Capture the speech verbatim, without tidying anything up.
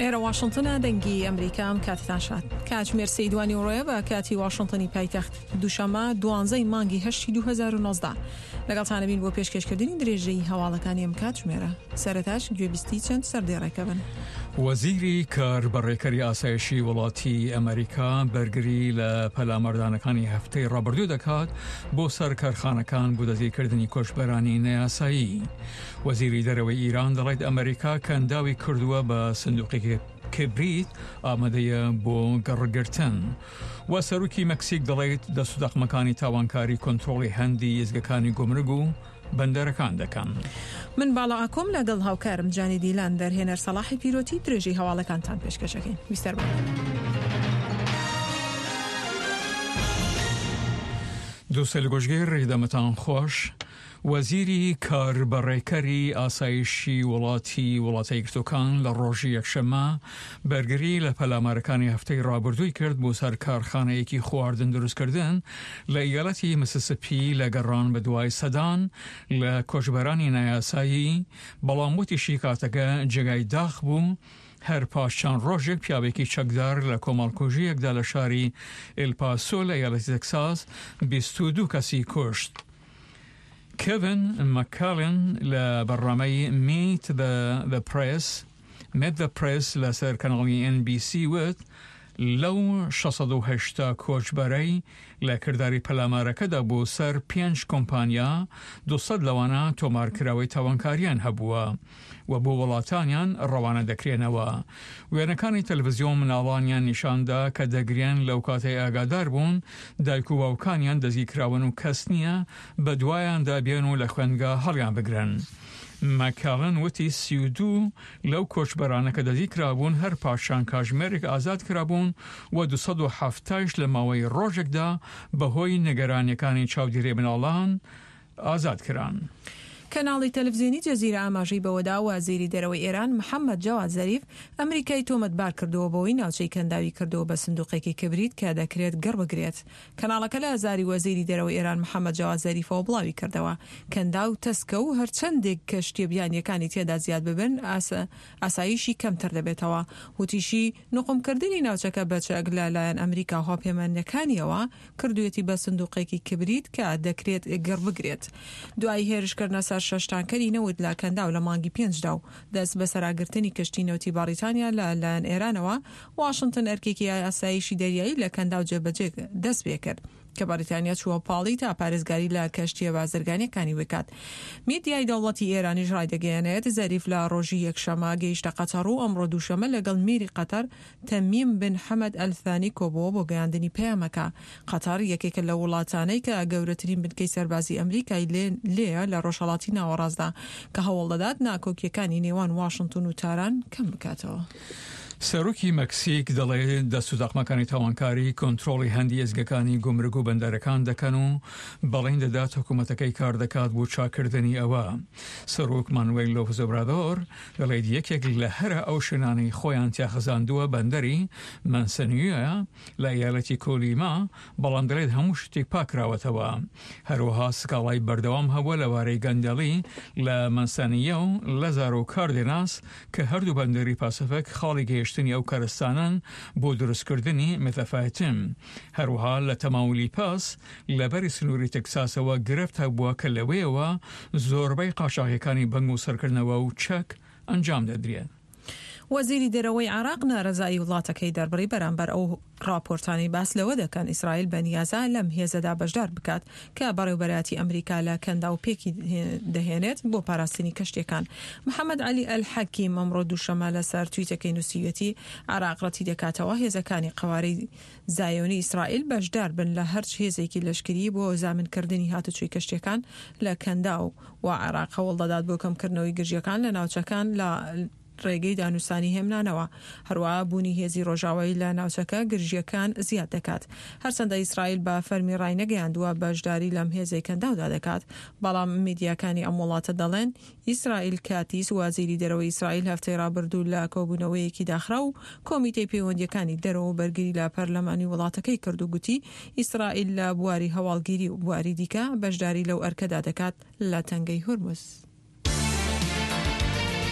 ئێرە واشنتنە، دەنگی ئەمریکا. ئەم کاتتان شاد. کاتژمێر سێی دوانیوەڕۆیە بە کاتی واشنتنی پایتەخت، دووشەممە دوانزەی مانگی هەشتی دوو هەزار و نۆزدە. لەگەڵتانەبین بۆ پێشکێشکردنی درێژەی هەواڵەکانی ئەم کاتژمێرە. سەرەتاش گوێبیستی چەند سەردێڕێکە بن. وەزیری کار بەڕێکەری ئاسایشی وڵاتی ئەمریکا بەرگری لە پەلاماردانەکانی هەفتەی ڕابردوو دەکات بۆ سەر کارخانەکان بۆ دەستگیرکردنی کۆچبەرانی نەیاسایی. وەزیری دەرەوەی ئیران دەڵێت ئەمریکا کەنداوی کردووە بە سندوقێکی کبریت ئامادەیە بۆ گەڕگرتن. و سەرۆکی مەکسیک دەڵێت دەست و دەقمەکانی تاوانکاری کۆنترۆڵی هەندی ئێزگەکانی گومرگ و بەندەرەکان دەکەن. من باڵا ئاکۆم لەگەڵ هاوکارم جانی دیلان دەرهێنەر سەڵاحی پیرۆتی درێژەی هەواڵەکانتان پێشکەشەکەین. بیستەر بن. دووسەل گۆشگیر دەمتان خۆش. وەزیری کاربەڕێکەری ئاسایشی وڵاتی وڵاتە یەکگرتووەکان لە ڕۆژی یەکشەممە بەرگری لە پەلامارەکانی هەفتەی ڕابردووی کرد بۆ سەر کارخانەیەکی خواردن دروستکردن لە ئیالەتی مسیسیپی لە گەڕان بە دوای سەدان لە کۆچبەرانی نایاسایی، بەڵام وتیشی کاتەکە جێگای داخ بوو. هەر پاش چەند ڕۆژێک پیاوێکی چەکدار لە کۆمەڵکوژیەکدا لە شاری ئێلپاسۆ لە ئیالەتی تەکساس بیست و دوو کەسی کوشت. کێڤن مەککالن لە بەرنامەی Meet the the Press Meet the Press لەسەر کەناڵی ئێن بی سی وت لەو شەش سەد و هەشتا کۆچبەرەی لە کرداری پەلامارەکەدا بۆ سەر پێنج کۆمپانیا دوو سەد لەوانە تۆمارکراوەی تاوانکاریان هەبووە و بۆ وڵاتانیان ڕەوانە دەکرێنەوە. وێنەکانی تەلەڤزیۆن مناڵانیان نیشاندا کە دەگرێن لەو کاتەی ئاگادار بوون دایک و باوکانیان دەستگیرکراون و کەس نییە بە دوایاندا بێن و لە خوێندگا هەڵیان بگرن. مەکالن وتی سی و دوو لەو کۆچبەرانە کە دەستگیرکرابوون هەر پاش چەند کاژمێرێک ئازاد کرابوون و دوو سەد و حەفتایش لە ماوەی ڕۆژێکدا بەهۆی نیگەرانیەکانی چاودێری مناڵان ئازاد کران. کەناڵی تەلەڤزیۆنی جەزیرە ئاماژەی بەوەدا وەزیری دەرەوەی ئێران محەممەد جەواد زەریف ئەمریکای تۆمەتبار کردووە بەوەی ناوچەی کەنداوی کردووە بە سندوقێکی کبریت کە دەکرێت گڕ بگرێت. کەناڵەکە لە زاری وەزیری دەرەوەی ئێران محەممەد جەواد زەریفەوە بڵاوی کردەوە کەنداو تەسکە و هەرچەندێک کەشتیە بیانیەکانی تێدا زیاد ببن ئاسایشی کەمتر دەبێتەوە. وتیشی نقومکردنی ناوچەکە بە چەک لە لایەن ئەمریکا و هاوپەیمانەکانیەوە کردوویەتی بە سندوقێکی کبریت کە دەکرێت گڕ بگرێت. دوای هێرشکردنە سەر شەش تانکەری نەوت لە کەنداو لە مانگی پێنجدا و دەست بەسەراگرتنی کەشتی نەوتی بەریتانیا لە لایەن ئێرانەوە، واشنتن ئەرکێکی ئاسایشی دەریایی لە کەنداو جێبەجێ دەست پێکرد کە بەریتانیا چووە پاڵی تا پارێزگاری لە کەشتیە بازرگانیەکانی بکات. میدیای دەوڵەتی ئێرانیش ڕایدەگەیەنێت زەریف لە ڕۆژی یەکشەمە گەیشتە قەتەر و ئەمڕۆ دووشەمە لەگەڵ میری قەتەر تەمیم بن حەمەد ئەلثانی کۆبووە بۆ گەیاندنی پەیامەکە. قەتەر یەکێکە لە وڵاتانەی کە گەورەترین بنکەی سەربازی ئەمریکای لێیە لە ڕۆژهەڵاتی ناوەڕاستدا کە هەوڵ دەدات ناکۆکیەکانی نێوان واشنتن و تاران کەم بکاتەوە. سەرۆکی مەکسیک دەڵێت دەست و دەقمەکانی تاوانکاری کۆنترۆڵی هەندی ئێزگەکانی گومرگ و بەندەرەکان دەکەن و بەڵێن دەدات حکوومەتەکەی کار دەکات بۆ چاکردنی ئەوە. سەرۆک مانوێل لۆپز ئۆبرادۆر دەڵێت یەکێک لە هەرە ئەو شوێنانەی خۆیان تیاخزاندووە بەندەری مەنسەنیە لە ئیالەتی کۆلیما، بەڵام دەڵێت هەموو شتێک پاکراوەتەوە. هەروەها سکاڵای بەردەوام هەبووە لەبارەی گەندەڵی لە مەنسەنیە و لەزارۆ کاردێناس کە هەردوو بەندەری پاسفک خاڵی گەیشتنی ئەو کەرستانن بۆ دروستکردنی مێتافایتم. هەروەها لە تەماولیپاس لەبەری سنووری تەکساسەوە گرفت هەبووە کە لەوەیەوە زۆربەی قاچاغیەکانی بەنگ و سەرکردنەوە و چەک ئەنجام دەدرێن. وەزیری دەرەوەی عێراق نارەزایی وڵاتەکەی دەربڕی بەرامبەر ئەو راپۆرتانەی باس لەوە دەکەن ئیسرائیل بەنیازە لەم هێزەدا بەشدار بکات کە بەڕێوبەرایەتی ئەمریکا لە کەنداو پێکی دەهێنێت بۆ پاراستنی کەشتیەکان. محەممەد عەلی ئەلحەکیم ئەمڕۆ دووشەمە لەسەر تویتەکەی نووسیویەتی عێراق ڕەتی دەکاتەوە هێزەکانی قەوارەی زایۆنی ئیسرائیل بەشدار بن لە هەرچ هێزێکی لەشکری بۆ زامنکردنی هاتوچۆی کەشتیەکان لە کەنداو و عێراق هەوڵ دەدات بۆ کەمکردنەوەی گرژیەکان لە ناوچەکان لە ڕێگەی دانوستانی هێمنانەوە. هەروەها بوونی هێزی ڕۆژاوایی لە ناوچەکە گرژیەکان زیاد دەکات. هەرچەندە ئیسرائیل بە فەرمی ڕای نەگەیاندووە بەشداری لەم هێزەی کەنداودا دەکات، بەڵام میدیاکانی ئەم وڵاتە دەڵێن ئیسرائیل کاتیس وەزیری دەرەوەی ئیسرائیل هەفتەی ڕابردوو لە کۆبوونەوەیەکی داخرا و کۆمیتەی پەیوەندیەکانی دەرەوە و بەرگری لە پەرلەمانی وڵاتەکەی کرد و گوتی ئیسرائیل لە بواری هەواڵگیری و بواری دیکە بەشداری لەو ئەرکەدا دەکات لە تەنگەی هورمز.